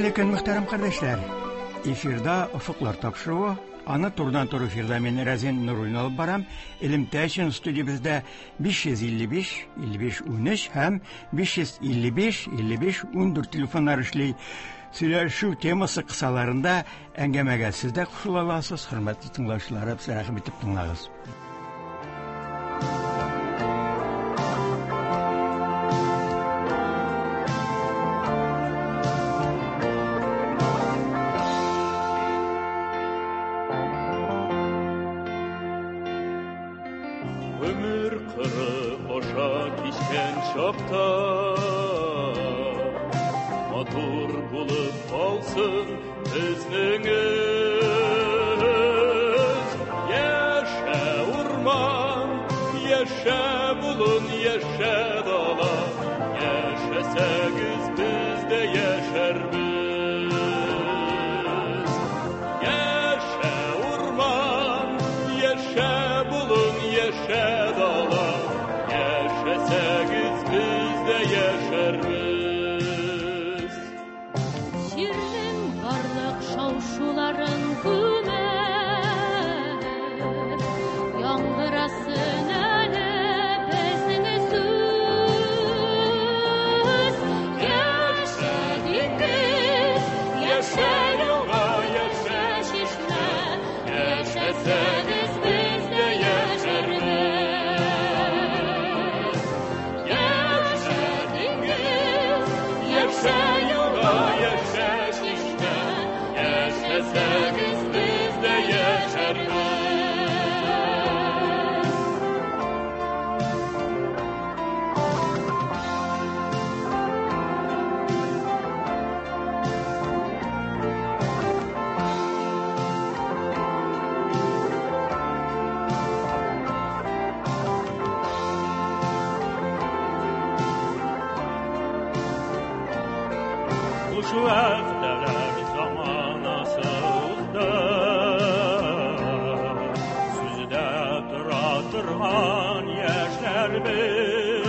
Хәерле көн, мөхтәрәм кардәшләр. Эфирда Офыклар тапшыруы. Аны турыдан-туры эфирда мин Рәзин Нуруллин алып барам. Элемтә өчен студиябездә 555 55 13 һәм 555 55 14 телефоннар эшли. Сөйләшү темасы кысаларында әңгәмәгә сез дә кушыла аласыз. Хөрмәтле тыңлаучыларыбыз, рәхим итеп тыңлагыз. Гомер кыры аша кичкән чакта Матур булып калсын безнең эз. Яшә урман, яшә болын, яшә дала, Яшәсәгез без дә яшәрбез. Яшә урман, яшә болын, яшә дала, Яшәсәгез без дә яшәрбез. Җирнең барлык шау-шуларын күмеп, яңгырасын әле безнең сүз. Яшә диңгез, яшә елга, яшә чишмә, яшәсәгез без дә яшәрбез. Яшә диңгез, яшә елга, яшә чишмә, яшәсәгез без дә яшәрбез. Хуш вәгъдәләр заманасы узды. Сүздә тора торган яшьләр без.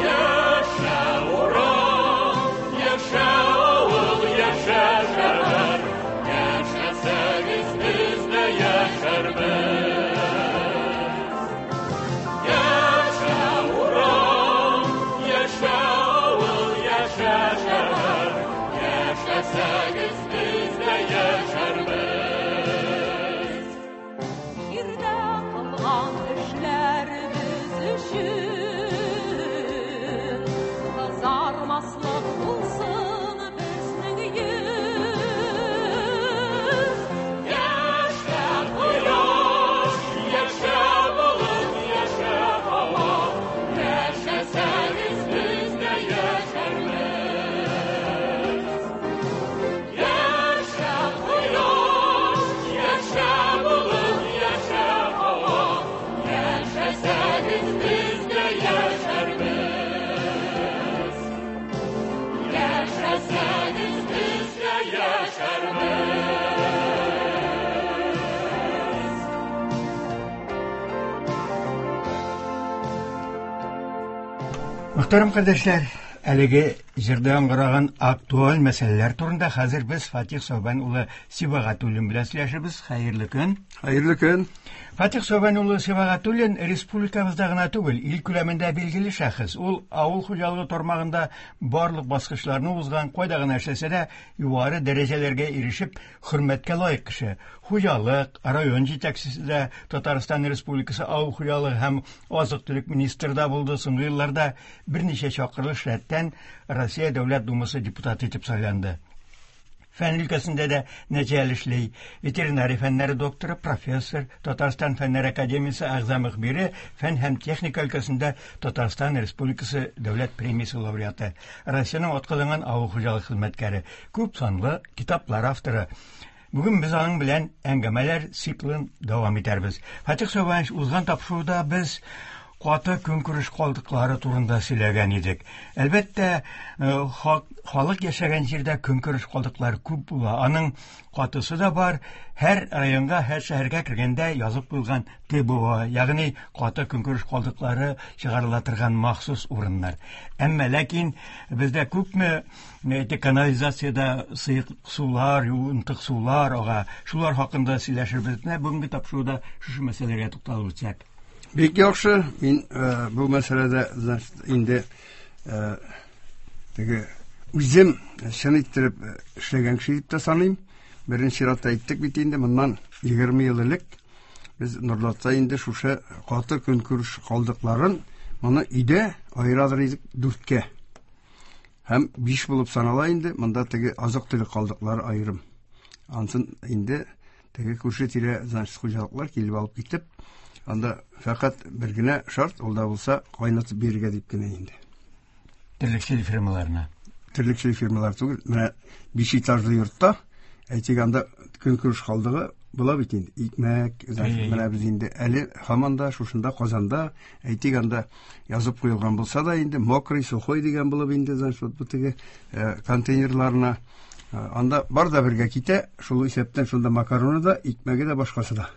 Яшә урам, яшә авыл, яшә шәһәр, яшәсәгез без дә яшәрбез. Яшә урам, яшә авыл, яшә шәһәр, яшәсәгез без дә яшәрбез. Җирдә кылган эшләребез өчен кызармаслык булсын безнең йөз. Яшә кояш, яшә болыт, яшә һава, яшәсәгез без дә яшәрбез. Яшә кояш, яшә болыт, яшә һава, яшәсәгез без дә яшәрбез. Яшәсәгез без дә яшәрбез. Мөхтәрәм кардәшләр, әлеге җырда яңгыраган актуаль мәсьәләләр турында хәзер без Фатих Сәүбән улы Сибагатуллин белән сөйләшербез. Хәерле көн. Хәерле көн. Фатих Сәүбән улы Сибагатуллин республикабызда гына түгел, ил күләмендә билгеле шәхес. Ул авыл хуҗалыгы тармагында барлык баскычларны узган, кайда гына эшләсә дә, югары дәрәҗәләргә ирешеп, хөрмәткә лаек кеше. Хуҗалык, район җитәкчесе дә, Татарстан Республикасы авыл хуҗалыгы һәм азык-төлек министры да булды. Соңгы елларда берничә чакырылыш рәттән Россия Дәүләт Думасы депутаты итеп сайланды. Фән өлкәсендә дә нәтиҗәле эшли. Ветеринария фәннәре докторы, профессор, Татарстан Фәннәр академиясе әгъза мөхбире, фән һәм техника өлкәсендә Татарстан Республикасы Дәүләт премиясе лауреаты, Россиянең атказанган авыл хуҗалык хезмәткәре, күп санлы китаплар авторы. Бүген без аның белән әңгәмәләр циклын дәвам итәрбез. Фатих Сәүбәнович, узган тапшыруда без каты көнкүреш калдыклары турында сөйләгән идек. Әлбәттә, халык яшәгән җирдә көнкүреш калдыклары күп була. Аның катысы да бар. Һәр районга, һәр шәһәргә кергәндә язып куелган ТБО, ягъни каты көнкүреш калдыклары чыгарыла торган махсус урыннар. Әмма ләкин бездә күпме канализациядә сыек сулар, юынтык сулар ага. Шулар хакында сөйләшербез. Менә бүгенге тапшыруда шушы мәсьәләгә тукталып үтсәк. Бик яхшы. Мин бу мәсьәләдә, значит, инде теге үзем чын иттереп эшләгән кеше дип тә саныйм. Беренче чиратта әйттек бит инде, моннан 20 ел элек без Нурлатта инде шушы каты көнкүреш калдыкларын моны өйдә аерадыр идек 4-кә. Һәм 5 булып санала инде, монда теге азык-төлек калдыклары аерым. Ансын инде теге күрше тирә, значит, хуҗалыклар килеп алып китеп, анда фәкать бер генә шарт, ул да булса кайнатып бирергә дип кенә инде. Терлекчелек фермаларына. Терлекчелек фермалары түгел, менә 5 этажлы йортта, әйтик, анда көнкүреш калдыгы була бит инде. Икмәк, значит, менә без инде әле һаман да шушында Казанда, әйтик, анда язып куелган булса да инде мокрый, сухой дигән булып инде, значит, вот бу теге контейнерларына, анда бар да бергә китә, шул исәптән шунда макароны да, икмәге дә, башкасы да.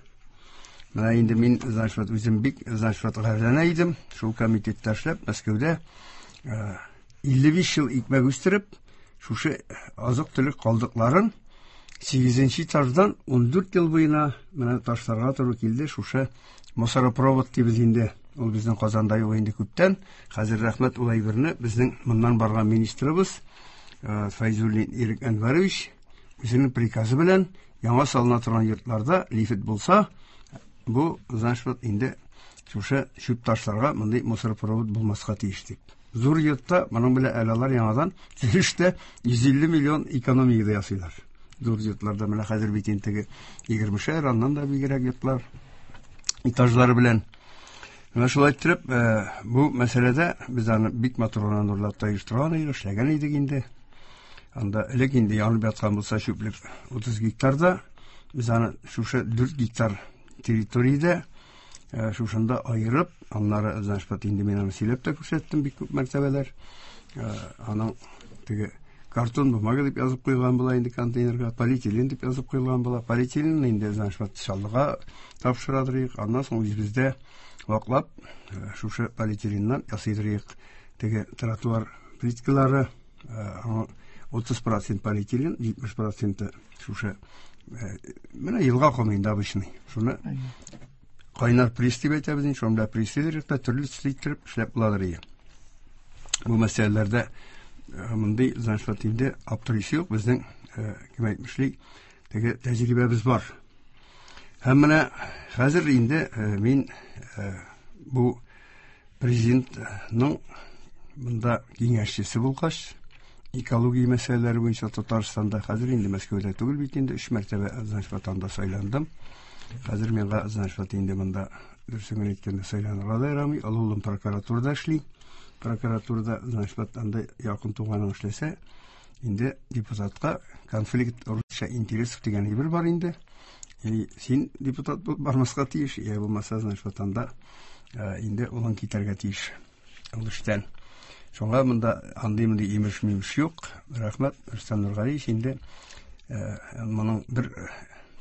Менә инде мин, значит, вот үзем бик, значит, вот гарьләнә идем, шул комитетта эшләп, Мәскәүдә 55 ел икмәк үстереп, шушы азык-төлек калдыкларын 8 этаждан 14 ел буена менә ташларга туры килде, шушы мусоропровод дибез инде. Ул безнең Казанда юк инде күптән. Хәзер рәхмәт ул әйберне безнең моннан барган министрыбыз Фәйзуллин Ирек Әнвәрович үзенең приказы белән яңа салына торган йортларда лифт булса, бу, значит, вот инде шушы чүп ташларга мондый мусоропровод булмаска тиеш дип. Зур йортта моның белән әле алар яңадан төзелештә 150 миллион экономия да ясыйлар. Зур йортларда менә хәзер бит инде теге 20-шәр, аннан да бигрәк йортлар этажлары белән. Менә шулай иттереп, бу мәсьәләдә без аны бик матур гына Нурлатта оештырган идек, эшләгән идек инде. Анда элек инде янып яткан булса чүплек 30 гектарда, без аны шушы 4 гектар территориядә шушында аерып, аннары, значит, вот инде мин аны сөйләп тә күрсәттем бик күп мәртәбәләр. Аның теге картон бумага дип язып куелган була инде контейнерга, полиэтилен дип язып куелган була. Полиэтилен инде, значит, вот Чаллыга тапшырадырыйк, аннан соң үзебездә ваклап, шушы полиэтиленнән ясыйдырыйк теге тротуар плиткалары, аңа 30% полиэтилен, 70% шушы, менә елга комы инде обычный. Шуны кайнар пресс дип әйтәбез инде, шуны белән пресс итеп, төрле төсле иттереп эшләп буладыр иде. Бу мәсьәләләрдә мондый, значит, вот инде аптырыйсы юк, безнең, кем әйтмешли, теге тәҗрибәбез бар. Һәм менә хәзер инде мин бу президентның монда киңәшчесе булгач, экология мәсьәләләре буенча Татарстанда, хәзер инде Мәскәүдә түгел бит инде, 3 мәртәбә, значит, ватанда сайландым. Хәзер миңа, значит, вот инде монда дөресен генә әйткәндә сайланырга да ярамый. Олы улым прокуратурада эшли. Прокуратурада, значит, вот анда якын туганың эшләсә, инде депутатка конфликт русча интересов дигән әйбер бар инде. И син депутат булып бармаска тиеш, я булмаса, значит, вот анда инде улың китәргә тиеш ул эштән. Шуңа монда андый-мондый имеш-мимеш юк. Рәхмәт, Рөстәм Нургалиевич, инде моның бер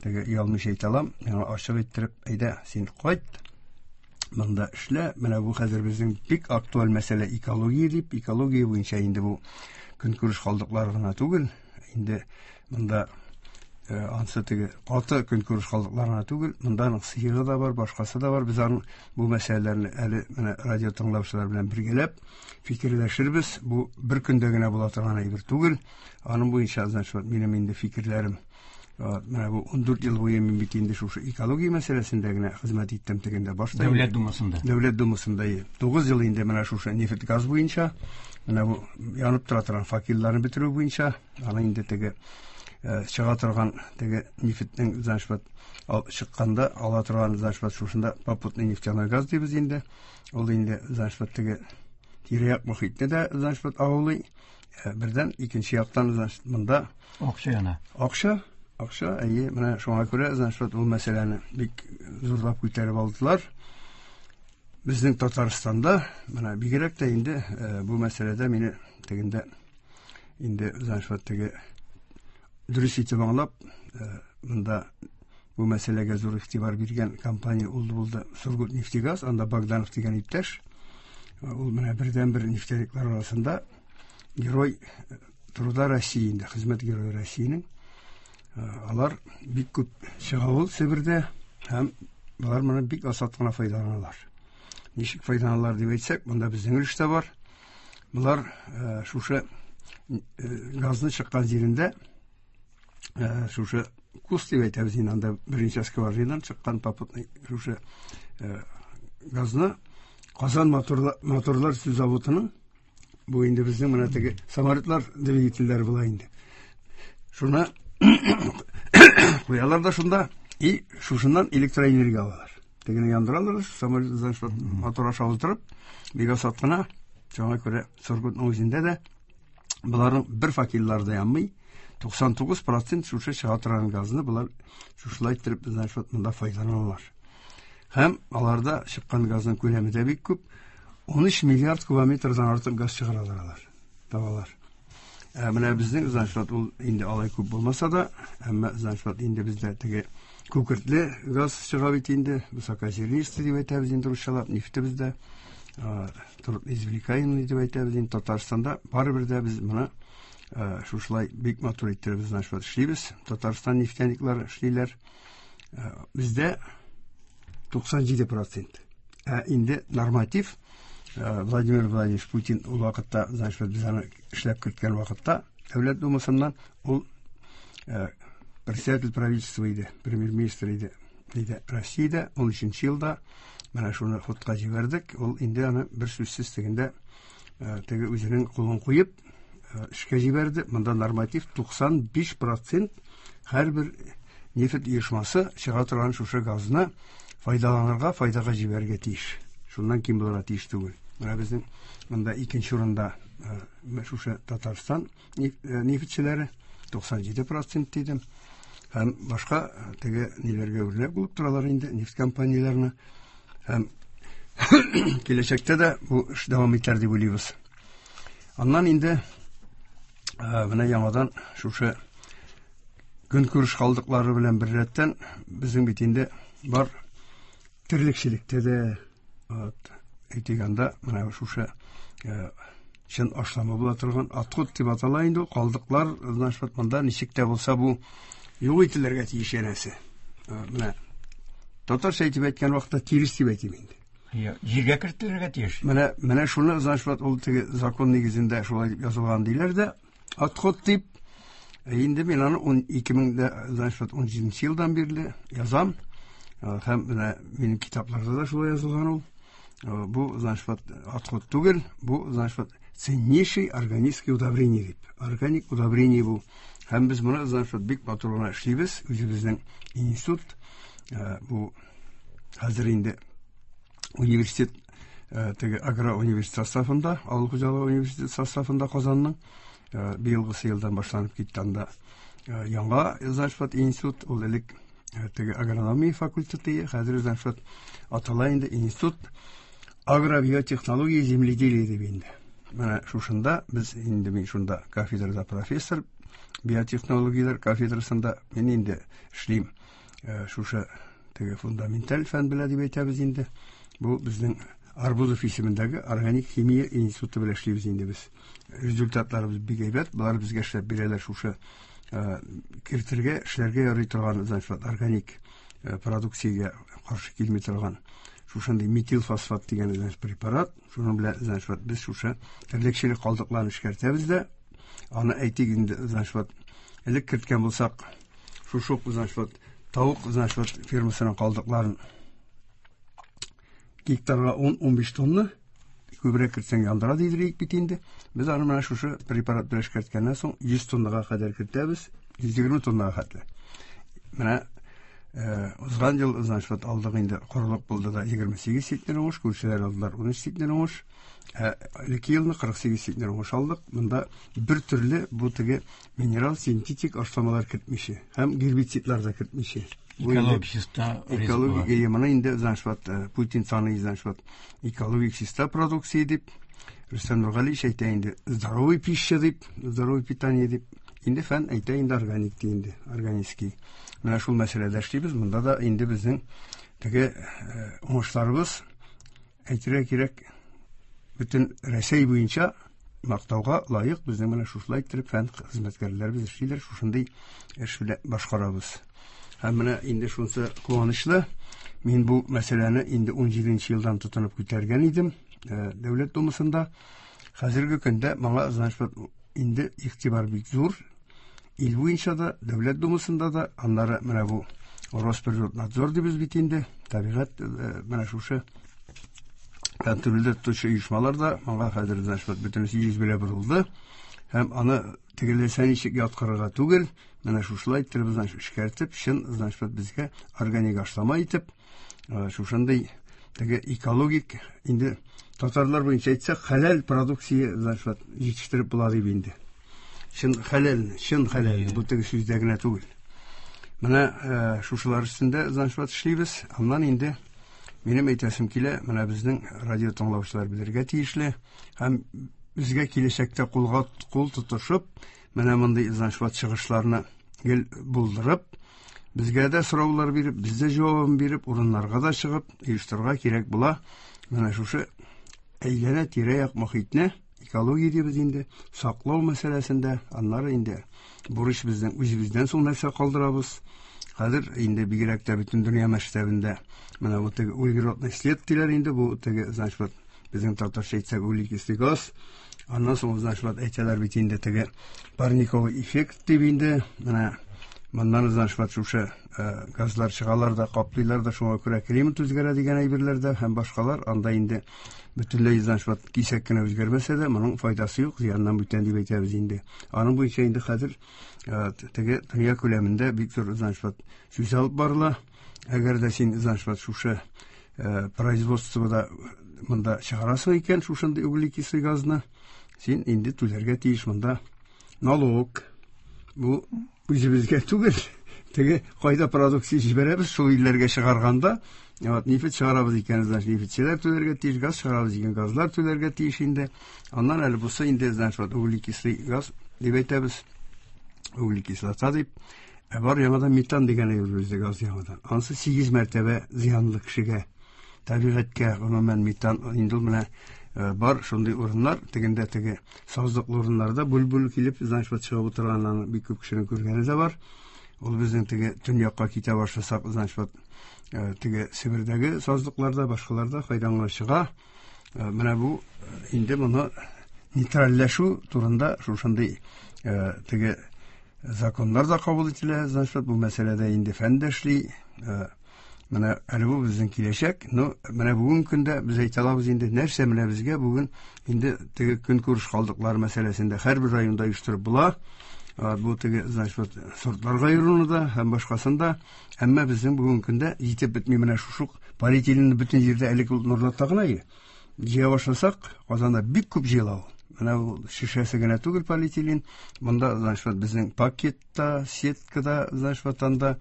теге оялмыйча әйтә алам, миңа ачык иттереп, әйдә, син кайт, монда эшлә. Менә бу хәзер безнең бик актуаль мәсьәлә экология дип, экология буенча инде бу көнкүреш калдыклары гына түгел, инде монда ансы теге каты көнкүреш калдыклары гына түгел, монда аның сыегы да бар, башкасы да бар. Без аның бу мәсьәләләрне әле менә радио тыңлаучылар белән бергәләп фикерләшербез. Бу бер көндә генә була торган әйбер түгел. Аның буенча, значит, вот минем инде фикерләрем. Менә бу 14 ел буе мин бит инде шушы экология мәсьәләсендә генә хезмәт иттем тегендә башта. Дәүләт Думасында. Дәүләт Думасында, ие. 9 ел инде менә шушы нефть газ буенча, менә бу янып тора торган факелларны бетерү буенча, аны инде теге чыга торган теге нефтьнең, значит, вот, чыкканда ала торган, значит, вот шушында попутный нефтяной газ дибез инде. Ул инде, значит, вот теге тирә-як мохитне дә, значит, вот агулый. Бердән, икенче яктан, значит, монда акча яна. Акча, акча, әйе, менә шуңа күрә, значит, вот ул мәсьәләне бик зурлап күтәреп алдылар. Безнең Татарстанда, менә бигрәк тә инде бу мәсьәләдә мине тегендә инде значит теге дөрес итеп аңлап, монда бу мәсьәләгә зур игътибар биргән компания ул булды Сургутнефтегаз, анда Богданов дигән иптәш. Ул менә бердәнбер нефтяниклар арасында герой труда России инде, хезмәт герое Россиянең. Алар бик күп чыга ул Себердә һәм болар моны бик асат кына файдаланалар. Ничек файдаланалар дип әйтсәк, монда безнең өлеш тә бар. Болар шушы газны чыккан җирендә шушы куст дип әйтәбез инде, анда берничә скважинадан чыккан попутный шушы газны Казан моторлар төзү заводының, бу инде безнең менә теге самолетлар двигательләре була инде. Шуны куялар да шунда и шушыннан электроэнергия алалар. Тегене яндыралар, самолет значит мотор аша уздырып, бик асат кына. Шуңа күрә Сургутның үзендә дә боларның бер факеллары да янмый. 99% шушы чыга торган газны болар шушылай иттереп значит монда файдаланалар. Һәм аларда чыккан газның күләме дә бик күп. 13 миллиард кубометрдан артык газ чыгаралар алар, табалар. Менә безнең значит ул инде алай күп булмаса да, әмма значит инде бездә теге күкертле газ чыга бит инде, высокозернистый дип әйтәбез инде русчалап, нефтебез дә трудноизвлекаемый дип әйтәбез инде. Татарстанда барыбер дә без моны шушылай бик матур иттереп значит эшлибез. Татарстан нефтяниклары эшлиләр. Бездә 97%. Ә инде норматив Владимир Владимирович Путин ул вакытта, значит, без аны эшләп керткән вакытта Дәүләт Думасыннан ул председатель правительства иде, премьер-министр иде. Иде Россиядә 13 елда менә шуны ходка җибәрдек. Ул инде аны бер сүзсез тегендә теге үзенең кулын куеп эшкә җибәрде. Монда норматив 95% һәрбер нефть оешмасы чыга торган шушы газны файдаланырга, файдага җибәрергә тиеш. Шуннан ким булырга тиеш түгел. Менә безнең монда икенче урында шушы Татарстан нефтьчеләре 97% дидем. Һәм башка теге ниләргә үрнәк булып торалар инде нефть компанияләренә. Һәм киләчәктә дә бу эш дәвам итәр дип уйлыйбыз. Аннан инде менә яңадан шушы көнкүреш калдыклары белән беррәттән безнең бит инде бар терлекчелектә дә, әйтик анда менә шушы чын ашлама була торган отход дип атала инде ул калдыклар, значит, монда ничек тә булса бу юк ителергә тиеш янәсе. Менә татарча әйтеп әйткән вакытта тирес дип әйтим инде. Җиргә кертелергә тиеш. Менә шуны, значит, ул теге закон нигезендә шулай дип язылган диләр дә, отход дип. Инде мин аны он ике мең дә, значит, ун җиденче елдан бирле язам. Һәм менә минем китапларда да шулай язылган ул. Бу, значит, отход түгел, бу, значит, ценнейший органический удобрение дип. Органик удобрение бу. Һәм без моны, значит, бик матур гына эшлибез. Үзебезнең институт, бу хәзер инде университет, теге агроуниверситет составында, авыл хуҗалыгы университеты составында Казанның, быелгысы елдан башланып китте анда яңа, значит, институт, ул элек теге агрономия факультеты, хәзер, значит, атала инде институт агробиотехнологии земледелия дип инде. Менә шушында без инде, мин шунда кафедрада профессор, биотехнологияләр кафедрасында мин инде эшлим. Шушы теге фундаменталь фән белә дип әйтәбез инде. Бу безнең Арбузов исемендәге органик химия институты белән эшлибез инде без. Результатларыбыз бик әйбәт. Болар безгә эшләп бирәләр шушы кертергә, эшләргә ярый торган, значит, органик продукциягә каршы килми торган шушындый метилфосфат дигән, значит, препарат. Шуның белән, значит, без шушы терлекчелек калдыкларын эшкәртәбез дә. Аны әйтик инде, значит, элек керткән булсак, шушы ук, значит, тавык, значит, фермасының калдыкларын гектарга 10-15 тонна, күбрәк кертсәң яндыра дидер бит инде. Без аны менә шушы препарат белән эшкәрткәннән соң 100 тоннага кадәр кертәбез, 120 тоннага хәтле. Менә Узган ел, значит, вот алдык инде, корылык булды да, 28 центнер уңыш, күршеләр алдылар 13 центнер уңыш. Элекке елны 48 центнер уңыш алдык. Монда бер төрле бу теге минерал синтетик ашламалар кертмичә һәм гербицидлар да кертмичә. Экологик чиста. Экологик, моны инде, значит, вот Путин саный, значит, вот экологик чиста продукция дип. Рөстәм Нургалиевич әйтә инде здоровый пища дип, здоровый питание дип. Инде фән әйтә инде органик ди инде, органический. Менә шул мәсьәләдә эшлибез. Монда да инде безнең теге уңышларыбыз, әйтергә кирәк, бөтен Рәсәй буенча мактауга лаек. Безнең менә шушылай иттереп фән хезмәткәрләребез эшлиләр, шушындый эш белән башкарабыз. Һәм менә инде шунысы куанычлы, мин бу мәсьәләне инде 17 елдан тотынып күтәргән идем Дәүләт Думасында. Хәзерге көндә моңа, значит, инде игътибар бик зур. Ил буенча да, Дәүләт Думасында да, аннары менә бу Росприроднадзор дибез бит инде, табигать менә шушы контрольдә тотучы оешмалар да моңа хәзер, значит, бөтенесе йөз белән борылды. Һәм аны тегеләсә ничек яткырырга түгел, менә шушылай иттереп, значит, эшкәртеп, чын, значит, безгә органик ашлама итеп, шушындый теге экологик инде, татарлар буенча әйтсәк, хәләл продукция, значит, җитештереп була дип инде. Чын хәләл, чын хәләл, бу теге сүздә генә түгел. Менә шушылар өстендә, значит, эшлибез. Аннан инде минем әйтәсем килә, менә безнең радио тыңлаучылар белергә тиешле һәм безгә киләчәктә кулга кул тотышып, менә мондый, значит, чыгышларны гел булдырып, безгә дә сораулар биреп, без дә җавабын биреп, урыннарга да чыгып, оештырырга кирәк була. Менә шушы әйләнә тирә-як мохитне, экология дибез инде, саклау мәсьәләсендә, аннары инде бурыч безнең үзебездән соң нәрсә калдырабыз. Хәзер инде бигрәк тә бөтен дөнья масштабында менә бу теге углеродный след диләр инде, бу теге, значит, вот безнең татарча әйтсәк, углекислый газ. Аннан соң, значит, вот әйтәләр бит инде теге парниковый эффект дип инде, менә моннан, значит, вот шушы газлар чыгалар да, каплыйлар да, шуңа күрә климат үзгәрә дигән әйберләр дә һәм башкалар. Анда инде бөтенләй, значит, вот кисәк кенә үзгәрмәсә дә, моның файдасы юк, зыяннан бүтән дип әйтәбез инде. Аның буенча инде хәзер теге дөнья күләмендә бик зур, значит, вот сүз алып барыла. Әгәр дә син, значит, вот шушы производствода монда чыгарасың икән шушындый углекислый газны, син инде түләргә тиеш монда налог. Бу үзебезгә түгел, теге кайда продукция җибәрәбез, шул илләргә чыгарганда, вот нефть чыгарабыз икән, значит, нефтьчеләр түләргә тиеш, газ чыгарабыз икән, газлар түләргә тиеш инде. Аннан әле бусы инде, значит, вот углекислый газ дип әйтәбез, углекислота дип. Ә бар яңадан метан дигән әйбер бездә, газ яңадан. Анысы 8 мәртәбә зыянлы кешегә, табигатькә, гомумән метан инде ул. Менә бар шундый урыннар, тегендә теге сазлыклы урыннарда бүл-бүл килеп, значит, вот чыгып утырганнарын бик күп кешенең күргәне дә бар. Ул безнең теге төньякка китә башласак, значит, вот теге Себердәге сазлыкларда, башкаларда кайдан гына чыга. Менә бу инде моны нейтральләшү турында шушындый теге законнар да кабул ителә, значит, бу мәсьәләдә инде фән дә эшли. Менә әле бу безнең киләчәк. Но менә бүгенге көндә без әйтә алабыз инде, нәрсә менә безгә бүген инде теге көнкүреш калдыклары мәсьәләсендә һәрбер районда оештырып була. Бу теге, значит, вот сортларга аеруны да һәм башкасын да. Әмма безнең бүгенге көндә җитеп бетми менә шушы полиэтиленны бөтен җирдә, элек ул Нурлатта гына иде. Җыя башласак, Казанда бик күп җыела ул. Менә ул шешәсе генә түгел полиэтилен. Монда, значит, вот безнең пакетта, сеткада, значит, вот анда,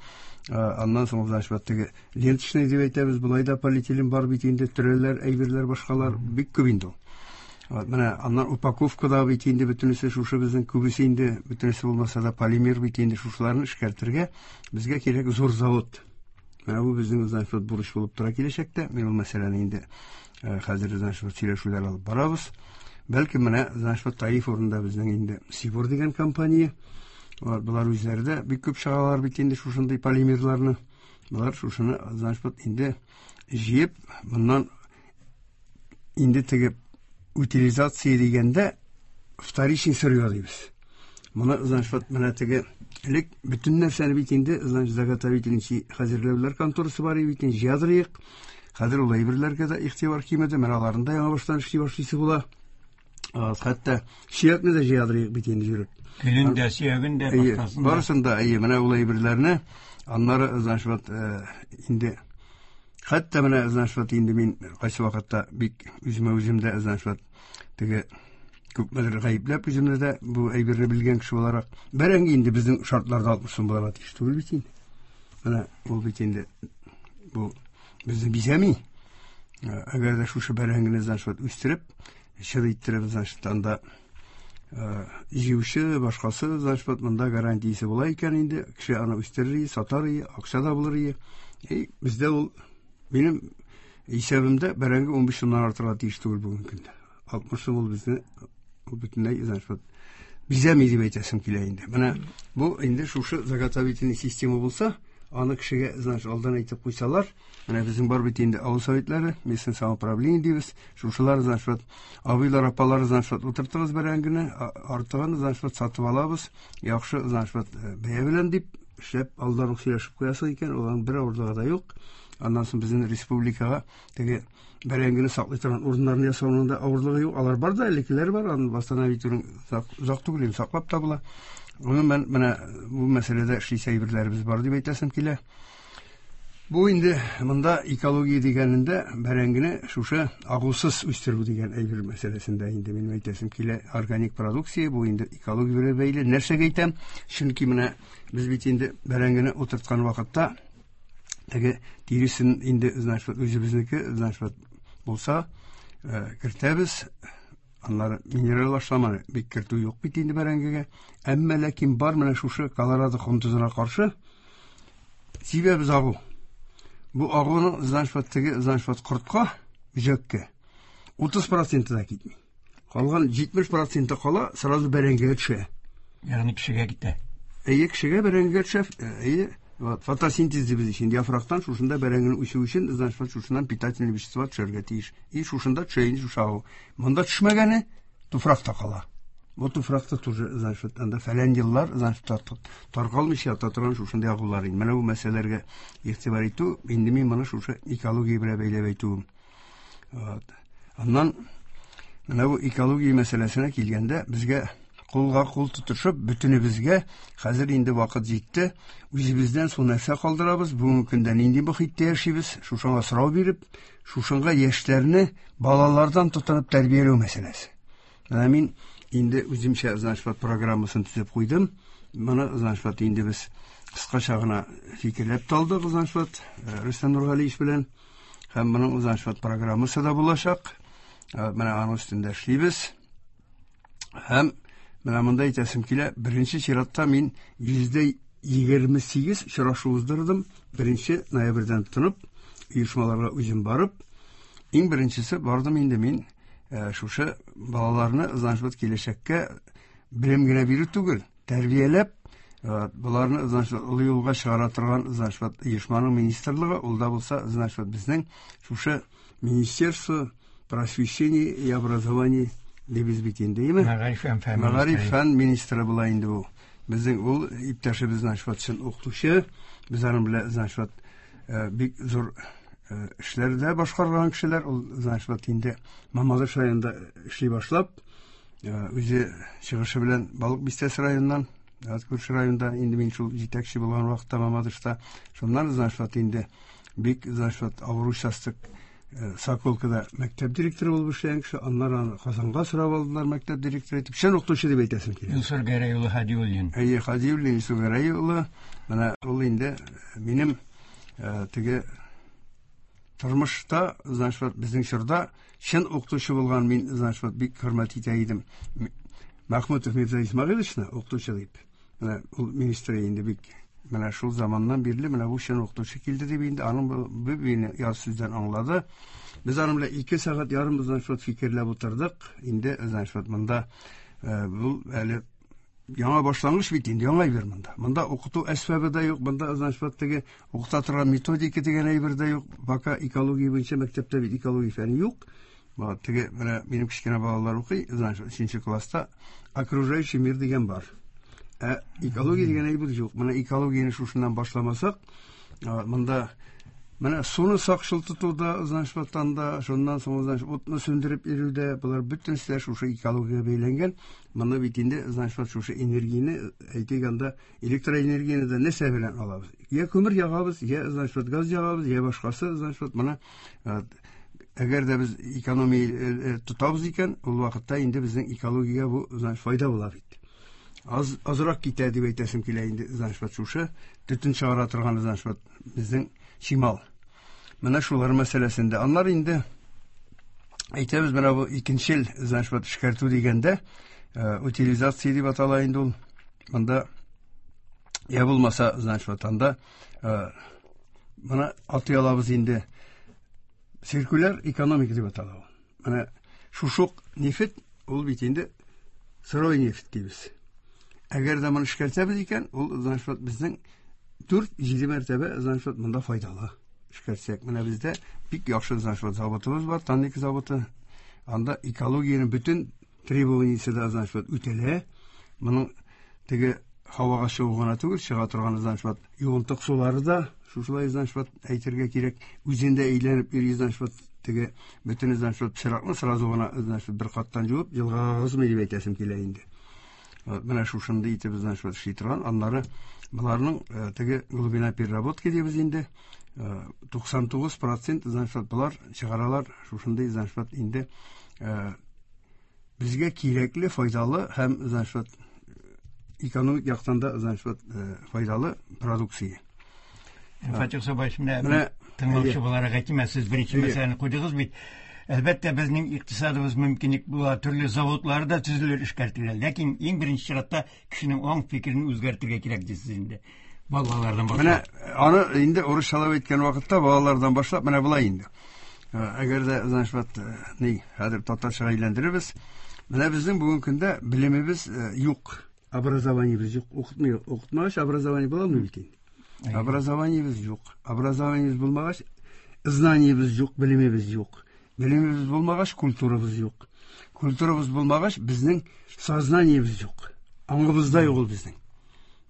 аннан соң, значит, вот теге ленточный дип әйтәбез, болай да полиэтилен бар бит инде, төрәләр, әйберләр, башкалар бик күп инде ул. Вот менә аннан упаковкада бит инде бөтенесе шушы безнең, күбесе инде, бөтенесе булмаса да, полимер бит инде. Шушыларны эшкәртергә безгә кирәк зур завод. Менә бу безнең, значит, вот бурыч булып тора киләчәктә. Мин ул мәсьәләне инде хәзер, значит, вот сөйләшүләр алып барабыз. Бәлки менә, значит, вот Таиф урында безнең инде Сибур дигән компания. Болар үзләре дә бик күп чыгаралар бит инде шушындый полимерларны. Болар шушыны, значит, вот инде җыеп, моннан инде теге утилизация дигәндә вторичный сырье дибез. Моны, значит, вот менә теге элек бөтен нәрсәне бит инде, значит, заготовительный хәзерләүләр конторасы бар бит инде, җыядырыек. Хәзер ул әйберләргә дә игътибар кимеде, менә аларны да яңа баштан эшли башлыйсы була. Хәтта сөякне дә җыядыр бит инде йөреп. Көлен дә, сөяген дә, башкасын да. Барысын да, әйе, менә ул әйберләрне аннары, значит, вот, инде хәтта менә, значит, вот, инде мин кайсы вакытта бик үземә үзем дә, значит, вот, теге күпмедер гаепләп үземне дә бу әйберне белгән кеше буларак, бәрәңге инде безнең шартларда 60 сум булырга тиеш түгел бит инде. Менә ул бит инде бу безне бизәми. Әгәр дә шушы бәрәңгене, значит, вот, үстереп, чыр иттереп, значит, анда җыючы, башкасы, значит, вот, монда гарантиясе була икән инде, кеше аны үстерер, сатар, акча да булыр. И бездә ул минем исәбемдә бәрәңге 15 сумнан артырга тиеш түгел бүгенге көндә. 60 сум ул безне ул бөтенләй, значит, вот, бизәми дип әйтәсем килә инде. Менә бу инде шушы заготовительный система булса, аны кешегә, значит, алдан әйтеп куйсалар, менә безнең бар бит инде авыл советлары, местное самоуправление дибез, шушылар, значит, вот, абыйлар, апалар, значит, вот, утыртыгыз бәрәңгене, артыгын, значит, вот, сатып алабыз, яхшы, значит, вот, бәя белән дип, эшләп алдан ук сөйләшеп куясың икән, аларның бер авырлыгы да юк. Аннан соң безнең республикага теге бәрәңгене саклый торган урыннарны ясауның да авырлыгы юк. Алар бар да, элеккеләр бар, аны восстановить озак түгел, инде саклап та була. Гомумән, менә бу мәсьәләдә эшлисе әйберләребез бар дип әйтәсем килә. Бу инде монда экология дигәнендә бәрәңгене шушы агусыз үстерү дигән әйбер мәсьәләсендә инде минем әйтәсем килә. Органик продукция бу инде экология белән бәйле. Нәрсәгә әйтәм? Чөнки менә без бит инде бәрәңгене утырткан вакытта теге тиресен инде, значит, вот, үзебезнеке, значит, вот, булса, кертәбез. Аннары минераль ашламаны бик кертү юк бит инде бәрәңгегә. Әмма ләкин бар менә шушы колорадо кондызына каршы сибәбез агу. Бу агуның, значит, вот, теге, значит, вот, кортка, бөҗәккә 30% да китми. Калган 70% кала, сразу бәрәңгегә төшә. Ягъни кешегә китә. Әйе, кешегә бәрәңгегә төшә. Әйе, вот, фотосинтез дибез инде яфрактан шушында бәрәңгене үсү өчен, значит, вот, шушыннан питательный вещества төшәргә тиеш. И шушында төшә инде шушы агу. Монда төшмәгәне туфракта кала. Бу туфракта тоже, значит, вот, анда фәлән еллар, значит, таркалмыйча ята торган шушындый агулар инде. Менә бу мәсьәләләргә игътибар итү, инде мин моны шушы экология белән бәйләп әйтүем. Вот. Аннан менә бу экология мәсьәләсенә килгәндә, безгә кулга кул тотышып, бөтенебезгә хәзер инде вакыт җитте. Үзебездән соң нәрсә калдырабыз? Бүгенге көндә нинди мохиттә яшибез? Шушыңа сорау биреп, шушыңа яшьләрне балалардан тотынып тәрбияләү мәсьәләсе. Менә мин инде үземчә, значит, вот, программасын төзеп куйдым. Моны, значит, вот, инде без кыскача гына фикерләп тә алдык, значит, вот, Рөстәм Нургалиевич белән. Һәм моның, значит, вот, программасы да булачак. Менә аның өстендә эшлибез. Һәм менә монда әйтәсем килә, беренче чиратта мин 28% очрашу уздырдым. 1 ноябрьдән тотынып, оешмаларга үзем барып, иң беренчесе бардым инде мин шушы балаларны, значит, вот, киләчәккә белем генә бирү түгел, тәрбияләп, боларны, значит, олы юлга чыгара торган, значит, вот, оешманың министрлыгы, ул да булса, значит, вот, безнең шушы Министерство просвещения и образования дибез бит инде, әйеме? Мәгариф һәм фән Мәгариф министры. Фән министры була инде бу. Безнең ул иптәшебез, значит, вот, чын укытучы, без аның белән, значит, вот, бик зур эшләрдә башкарган кешеләр, ул, значит, вот, инде Мамадыш районында эшли башлап, үзе чыгышы белән Балык Бистәсе районыннан, күрше районда, инде мин шул җитәкче булган вакытта Мамадышта, шуннан, значит, вот, инде бик, значит, вот, авыр участок Соколкада мәктәп директоры булып эшләгән кеше, аннары аны Казанга сорап алдылар мәктәп директоры итеп. Чын укытучы дип әйтәсем килә. Илсур Гәрәй улы Һадиуллин. Әйе, Һадиуллин Илсур Гәрәй улы. Менә ул инде минем теге тормышта, значит, вот, безнең чорда чын укытучы булган мин, значит, вот, бик хөрмәт итә идем. Махмутов Мирза Исмагиловичны укытучы дип. Менә ул министр инде бик менә шул заманнан бирле менә бу чын укытучы килде дип инде аның бу мине яз сүздән аңлады. Без аның белән 2 сәгать ярым, значит, вот, фикерләп утырдык. Инде, значит, вот, монда бу әле яңа башлангыч бит инде, яңа әйбер монда. Монда укыту әсбабы да юк, монда, значит, вот, теге укыта торган методика дигән әйбер дә юк. Пока экология буенча мәктәптә бит экология фәне юк. Вот, теге менә минем кечкенә балалар укый, значит, 3 класста окружающий мир дигән бар. Ә экология дигән әйбер юк. Менә экологияне шушыннан башламасак, монда Менә суны сакчыл тотуда, значит, ватанда, шуннан соң, значит, утны сүндереп йөрүдә, болар бөтенесе дә шушы экологиягә бәйләнгән. Моны бит инде, значит, вот шушы энергияне, әйтик анда, электроэнергияне дә нәрсә белән алабыз? Я күмер ягабыз, я, значит, вот газ ягабыз, я башкасы, значит, вот моны әгәр дә без экономия тотабыз икән, ул вакытта инде безнең экологиягә бу, значит, файда була бит. Аз, азрак китә дип әйтәсем килә инде, значит, вот шушы төтен чыгара торган, значит, вот безнең чимал. Менә шулар мәсьәләсендә. Аннары инде әйтәбез, менә бу икенчел, значит, вот эшкәртү дигәндә, утилизация дип атала инде ул. Монда я булмаса, значит, вот анда моны атый алабыз инде. Циркуляр экономика дип атала ул. Менә шушы ук нефть, ул бит инде сырой нефть дибез. Әгәр дә моны эшкәртәбез икән, ул, значит, вот безнең 4-7 мәртәбә, значит, вот монда файдалы. Эшкәртсәк, менә бездә бик яхшы, значит, вот заводыбыз бар, Танник заводы. Анда экологиянең бөтен требованиесе дә, значит, вот үтәлә. Моның теге һавага чыгу гына түгел, чыга торган, значит, вот юынтык сулары да шушылай, значит, вот әйтергә кирәк, үзендә әйләнеп йөри, значит, вот теге бөтен, значит, вот пычракны сразу гына, значит, бер каттан жуып, елгага агызмый дип әйтәсем килә инде. Вот менә шушындый итеп, значит, вот эшли торган. Аннары боларның теге глубина переработки дибез инде. 99%, значит, вот болар чыгаралар шушындый, значит, вот инде безгә кирәкле, файдалы һәм, значит, вот экономик яктан да, значит, вот файдалы продукция. Фатих Сабаевич, менә тыңлаучы буларак әйтим, сез беренче мәсьәләне куйдыгыз бит. Әлбәттә, безнең икътисадыбыз мөмкинлек була, төрле заводлар да төзелер, эшкәртелер. Ләкин иң беренче чиратта кешенең аң фикерен үзгәртергә кирәк дисез инде. Балалардан башлап. Менә аны инде урысчалап әйткән вакытта балалардан башлап менә болай инде. Әгәр дә, значит, вот, ни, хәзер татарчага әйләндерербез. Менә безнең бүгенге көндә белемебез юк, образованиебез юк, укытмый, укытмагач образование була алмый бит инде. Образованиебез юк. Образованиебез булмагач, знаниебез юк, белемебез юк. Белемебез булмагач, культурабыз юк. Культурабыз булмагач, безнең сознаниебез юк. Аңыбызда юк ул безнең.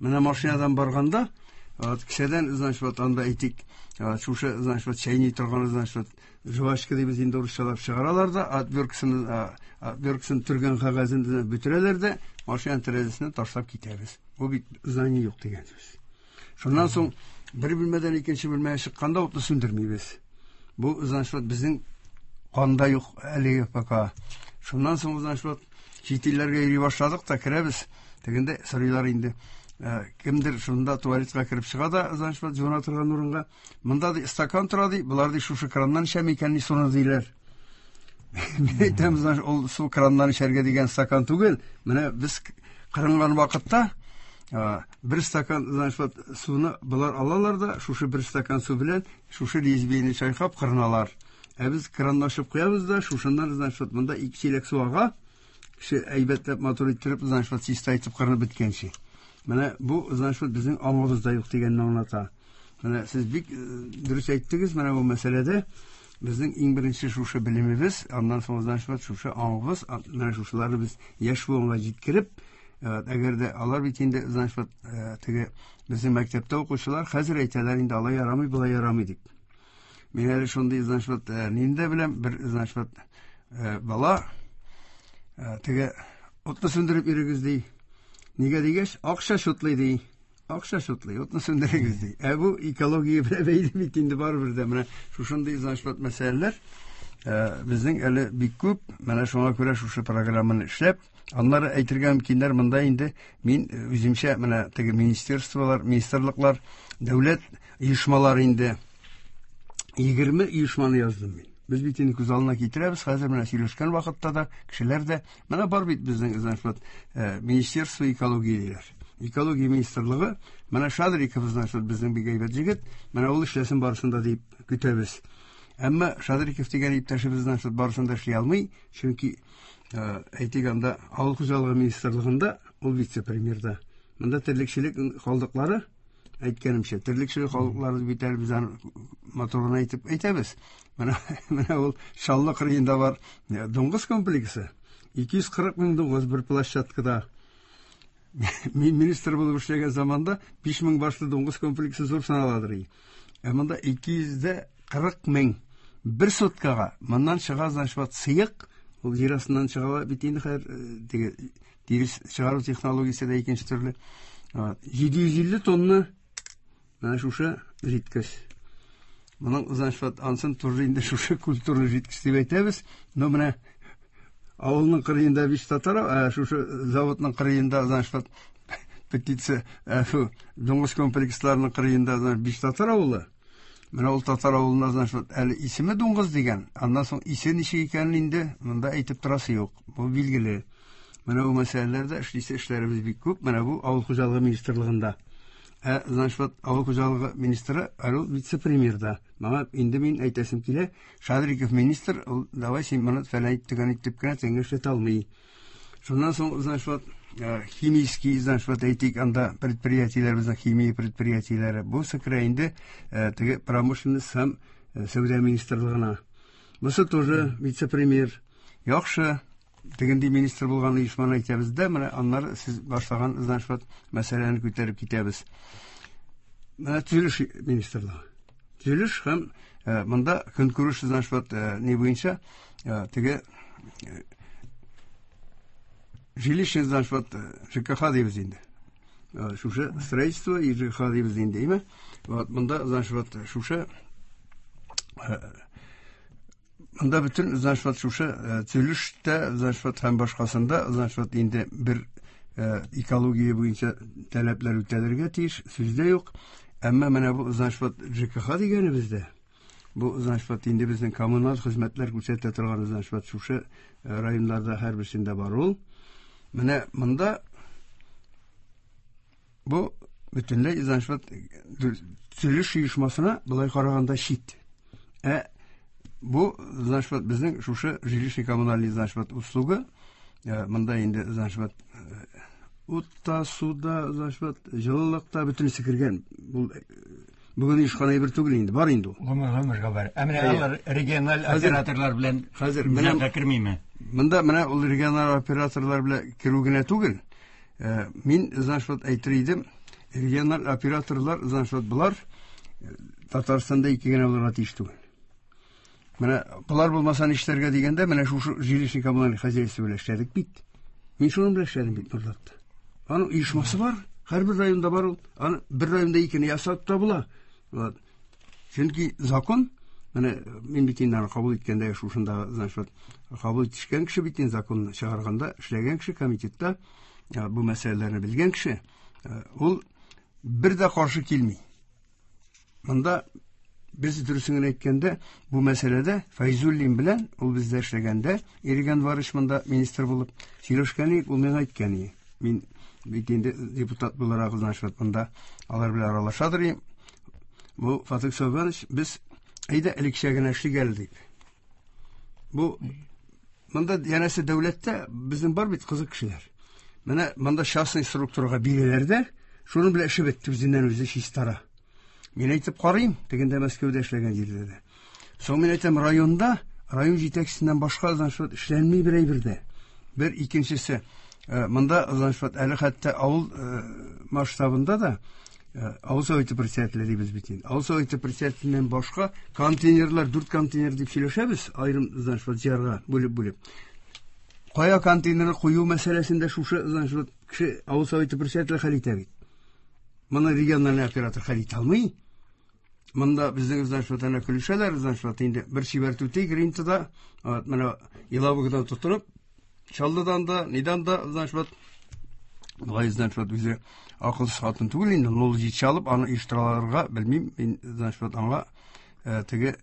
Менә машинадан барганда, вот, кесәдән, значит, вот, анда әйтик, вот, шушы, значит, вот, чәйни торган, значит, вот, жвачка дибез инде урысчалап чыгаралар да, отверткасын төргән кәгазен бөтерәләр дә, машинаның тәрәзәсенә ташлап китәбез. Бу бит знание юк дигән сүз. Шуннан соң бер бүлмәдән икенче бүлмәгә чыкканда утны сүндермибез. Бу, значит, вот, безнең канда юк әлеге пока. Шуннан соң, значит, вот, чит илләргә йөри башладык та керәбез. Тегендә сорыйлар инде. Кемдер шунда туалетка кереп чыга да, значит, вот, жуына торган урынга. Монда ди стакан тора ди, болар ди шушы краннан эчәме икән ни суны диләр. Мин әйтәм, значит, ул су краннан эчәргә дигән стакан түгел. Менә без кырынган вакытта бер стакан, значит, вот, суны болар алалар да, шушы бер стакан су белән шушы лезвиене чайкап кырыналар. Ә без кранны ачып куябыз да, шушыннан, значит, вот, монда ике чиләк су ага. Кеше әйбәтләп матур иттереп, значит, вот, чиста итеп кырынып беткәнче. Менә бу, значит, вот, безнең аңыбызда юк дигәнне аңлата. Менә сез бик дөрес әйттегез, менә бу мәсьәләдә безнең иң беренче шушы белемебез, аннан соң, значит, вот, шушы аңыбыз, менә шушыларны без яшь буынга җиткереп, әгәр дә алар бит инде, значит, вот, теге безнең мәктәптә укучылар хәзер әйтәләр инде, алай ярамый, болай ярамый дип. Мин әле шундый, значит, вот, нинди дә беләм, бер, значит, вот, бала, теге утны сүндереп йөрегез ди. Нигә дигәч, акча шутлый ди. Акча шутлый, утны сүндерегез ди. Ә бу экология белән бәйле бит инде барыбер дә. Менә шушындый, значит, вот, мәсьәләләр безнең әле бик күп. Менә шуңа күрә шушы программаны эшләп, аннары әйтергә мөмкиннәр, монда инде мин үземчә менә теге министерстволар, министрлыклар, дәүләт оешмалары инде 20 оешманы яздым мин. Без бит инде күз алдына китерәбез, хәзер менә сөйләшкән вакытта да кешеләр дә, менә бар бит безнең, значит, вот, Министерство экологии диләр. Экология министрлыгы, менә Шадриков, значит, вот, безнең бик әйбәт җегет, менә ул эшләсен барысын да дип көтәбез. Әмма Шадриков дигән иптәшебез, значит, вот, барысын да эшли алмый, чөнки, әйтик, анда авыл хуҗалыгы министрлыгында ул вице-премьерда. Монда терлекчелек калдыклары, әйткәнемчә, терлекчелек халыклары бит әле без аны матур гына итеп әйтәбез. Менә, менә ул Чаллы кырыенда бар дуңгыз комплексы. 240 мең дуңгыз бер площадкада. Мин министр булып эшләгән заманда 5000 башлы дуңгыз комплексы зур саналадыр. Ә монда 240 мең бер суткага. Моннан чыга, значит, вот сыек, ул җир астыннан чыга бит инде хәзер, теге тирес чыгару технологиясе дә икенче төрле. 750 тонна менә шушы жидкость. Моның, значит, вот ансын тоже инде шушы культурный жидкость дип әйтәбез. Но менә авылның кырыенда биш татар, шушы заводның кырыенда, значит, вот птица, дуңгыз комплексларының кырыенда, значит, биш татар авылы. Менә ул татар авылына, значит, вот әле исеме дуңгыз дигән, аннан соң исе ничек икәнен инде монда әйтеп торасы юк. Бу билгеле. Менә бу мәсьәләләрдә эшлисе эшләребез бик күп. Менә бу авыл хуҗалыгы министрлыгында. Значит, вот авыл хуҗалыгы министры, әле ул вице-премьер да. Моңа инде мин әйтәсем килә, Шадриков министр, ул давай син моны фәлән итеп итеп кенә тәңгә эшләтә алмый. Шуннан соң, значит, вот химический, значит, вот әйтик, анда предприятиеләр, безнең химия предприятиеләре. Бу сыкра инде теге промышленность һәм сәүдә министрлыгына. Бусы тоже вице-премьер. Яхшы, тегенди министр булган оешманы әйтәбез дә, менә аннары сез башлаган, значит, вот мәсьәләне күтәреп китәбез. Менә төзелеш министрлыгы. Төзелеш һәм монда көнкүреш, значит, вот ни буенча теге жилищный, значит, вот ЖКХ дибез инде. Шушы строительство и ЖКХ дибез инде, әйме? Вот монда, значит, вот шушы монда бөтен, значит, вот шушы төзелештә, значит, вот һәм башкасында, значит, вот инде бер экология буенча таләпләр үтәлергә тиеш, сүз дә юк. Әмма менә бу, значит, вот ЖКХ дигәнебездә, бу, значит, вот инде безнең коммуналь хезмәтләр күрсәтә торган, значит, вот шушы районнарда һәрберсендә бар ул. Менә монда бу бөтенләй, значит, вот төзелеш оешмасына болай караганда чит. Бу, значит, вот безнең шушы жилищный коммунальный, значит, вот услуга, монда инде, значит, вот утта, суда, значит, вот җылылыкта бөтенесе кергән. Бу бүген оешкан әйбер түгел инде, бар инде ул. Гомер-гомергә бар. Ә менә алар региональ операторлар белән хәзер менә кермиме? Монда менә ул региональ операторлар белән керү генә түгел. Мин, значит, вот әйтер идем, региональ операторлар, значит, вот болар Татарстанда ике генә булырга тиеш түгел. Менә болар булмаса нишләргә дигәндә, менә шушы жилищный коммунальный хозяйство белән эшләдек бит. Мин шуның белән эшләдем бит Нурлатта. Аның оешмасы бар, һәрбер районда бар ул. Аны бер районда икене ясап та була. Вот. Чөнки закон, менә мин бит инде аны кабул иткәндә шушында, значит, вот, кабул итешкән кеше бит инде законны чыгарганда эшләгән кеше комитетта бу мәсьәләләрне белгән кеше, ул бер дә каршы килми. Монда без дөресен генә әйткәндә, бу мәсьәләдә Фәйзуллин белән ул бездә эшләгәндә, Ирек Әнварович монда министр булып сөйләшкән идек, ул миңа әйткән иде. Мин бит инде депутат буларак, значит, монда алар белән аралашадыр идем. Бу Фатих Сабанович, без әйдә элекчә генә эшлик әле дип. Бу монда янәсе дәүләттә безнең бар бит кызык кешеләр. Менә монда частный структурага бирәләр дә, шуның белән эше бетте, үзеннән үзе чистара. Мин әйтеп карыйм, тегендә Мәскәүдә эшләгән җирдә дә. Соң мин әйтәм, районда, район җитәкчесеннән башка, значит, эшләнми бер әйбер дә. Бер икенчесе, монда, значит, әле хәтта авыл масштабында да авыл советы председателе дибез бит инде. Авыл советы председателеннән башка контейнерлар, 4 контейнер дип сөйләшәбез, аерым, значит, җыярга бүлеп-бүлеп. Кая контейнерны кую мәсьәләсендә шушы, значит, кеше авыл советы председателе хәл итә бит. Моны региональный оператор хәл итә алмый. Монда безнең, значит, вот әнә көлешәләр, значит, вот инде бер чибәр түти Гринтада, вот менә Елабугадан тотынып, Чаллыдан да, нидән дә, значит, вот болай, значит, вот үзе акылсыз хатын түгел инде, ул җитшә алып, аны оештыраларга белмим, мин, значит, вот аңа теге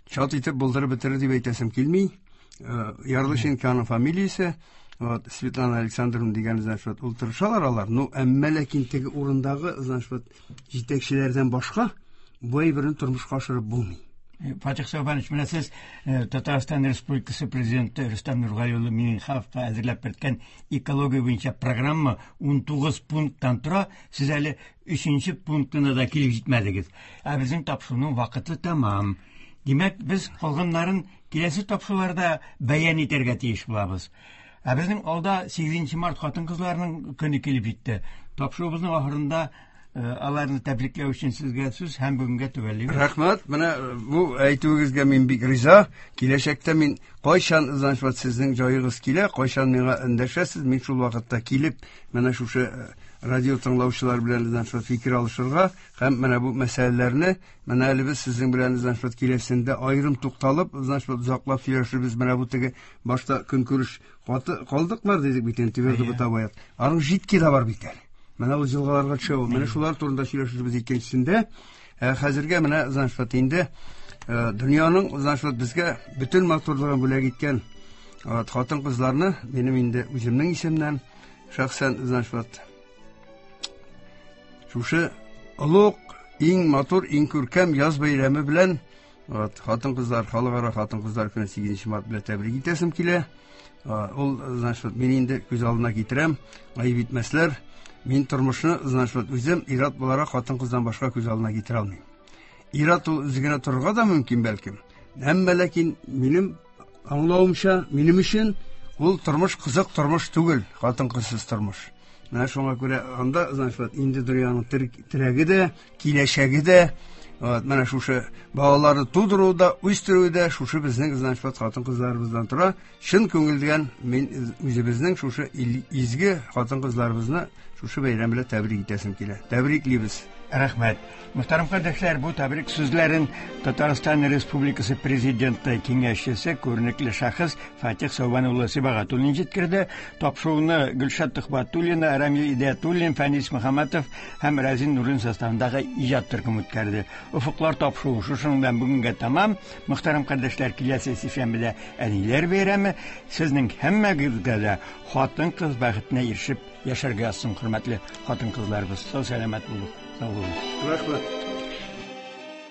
чат итеп булдырып бетерер дип әйтәсем килми. Ярлышенконың фамилиясе, вот Светлана Александровна дигән, значит, вот ул тырышалар алар. Ну, әмма ләкин теге урындагы, значит, вот җитәкчеләрдән башка бу әйберне тормышка ашырып булмый. Фатих Сабанович, менә сез Татарстан Республикасы Президенты Рөстәм Нургали улы Миңнехановка әзерләп берткән экология буенча программа 19 пункттан тора. Сез әле 3 пунктына да килеп җитмәдегез. Ә безнең тапшыруның вакыты тәмам. Димәк, без калганнарын киләсе тапшыруларда бәян итәргә тиеш булабыз. Ә безнең алда 8 март хатын-кызларның көне килеп җитте. Тапшыруыбызның ахырында Аларны тәбрикләү өчен сезгә сүз һәм бүгенгә төгәллибез. Рәхмәт. Менә бу әйтүегезгә мин бик риза. Киләчәктә мин кайчан, значит, сезнең җаегыз килә, кайчан миңа эндәшәсез, мин шул вакытта килеп, менә шушы радио тыңлаучылар белән, значит, фикер алышырга һәм менә бу мәсьәләләрне, менә әле без сезнең белән, значит, киләсендә аерым тукталып, значит, озаклап сөйләшербез. Менә бу теге башта көнкүреш каты калдыклар дидек бит инде, твердо бытовая. Аның жидкий да бар бит әле. Менә ул җылгаларга төшә ул. Менә шулар турында сөйләшербез икенчесендә. Хәзергә менә, значит, инде дөньяның, значит, безгә бөтен матурлыгын бүләк иткән хатын-кызларны минем инде үземнең исемнән шәхсән, значит, шушы олуг, иң матур, иң күркәм яз бәйрәме белән, вот, хатын-кызлар, халыкара хатын-кызлар көне 8 март белән тәбрик итәсем килә. Ул, значит, мин инде күз алдына китерәм, гаеп итмәсләр. Мин тормышны, значит, үзем ир-ат буларак хатын-кыздан башка күз алдына китерә алмыйм. Ир-ат ул үзе генә торырга да мөмкин бәлкем. Әмма ләкин минем аңлавымча, минем өчен ул тормыш кызык тормыш түгел, хатын-кызсыз тормыш. Менә шуңа күрә анда, значит, инде дөньяның терәге дә, киләчәге дә, вот, менә шушы балаларны тудыру да, үстерү дә шушы безнең, значит, хатын-кызларыбыздан тора. Чын күңелдән мин үзебезнең шушы изге хатын-кызларыбызны шушы бәйрәм белән тәбрик итәсем килә. Тәбриклибез. Рәхмәт. Мөхтәрәм кардәшләр, бу тәбрик сүзләрен Татарстан Республикасы Президенты киңәшчесе, күренекле шәхес Фатих Сәүбән улы Сибагатуллин җиткерде. Тапшыруны Гөлшат Төхбәтуллина, Рамил Идиятуллин, Фәнис Мөхәммәтов һәм Рәзин Нурин составындагы иҗат төркеме үткәрде. Офыклар тапшыруы шушының белән бүгенгә тәмам. Мөхтәрәм кардәшләр, киләсе сишәмбедә әниләр бәйрәме. Сезнең һәммәгезгә дә хатын-кыз бәхетенә ирешеп яшәргә язсын, хөрмәтле хатын-кызларыбыз. Сау сәламәт булыгыз. Сау булыгыз. Рәхмәт.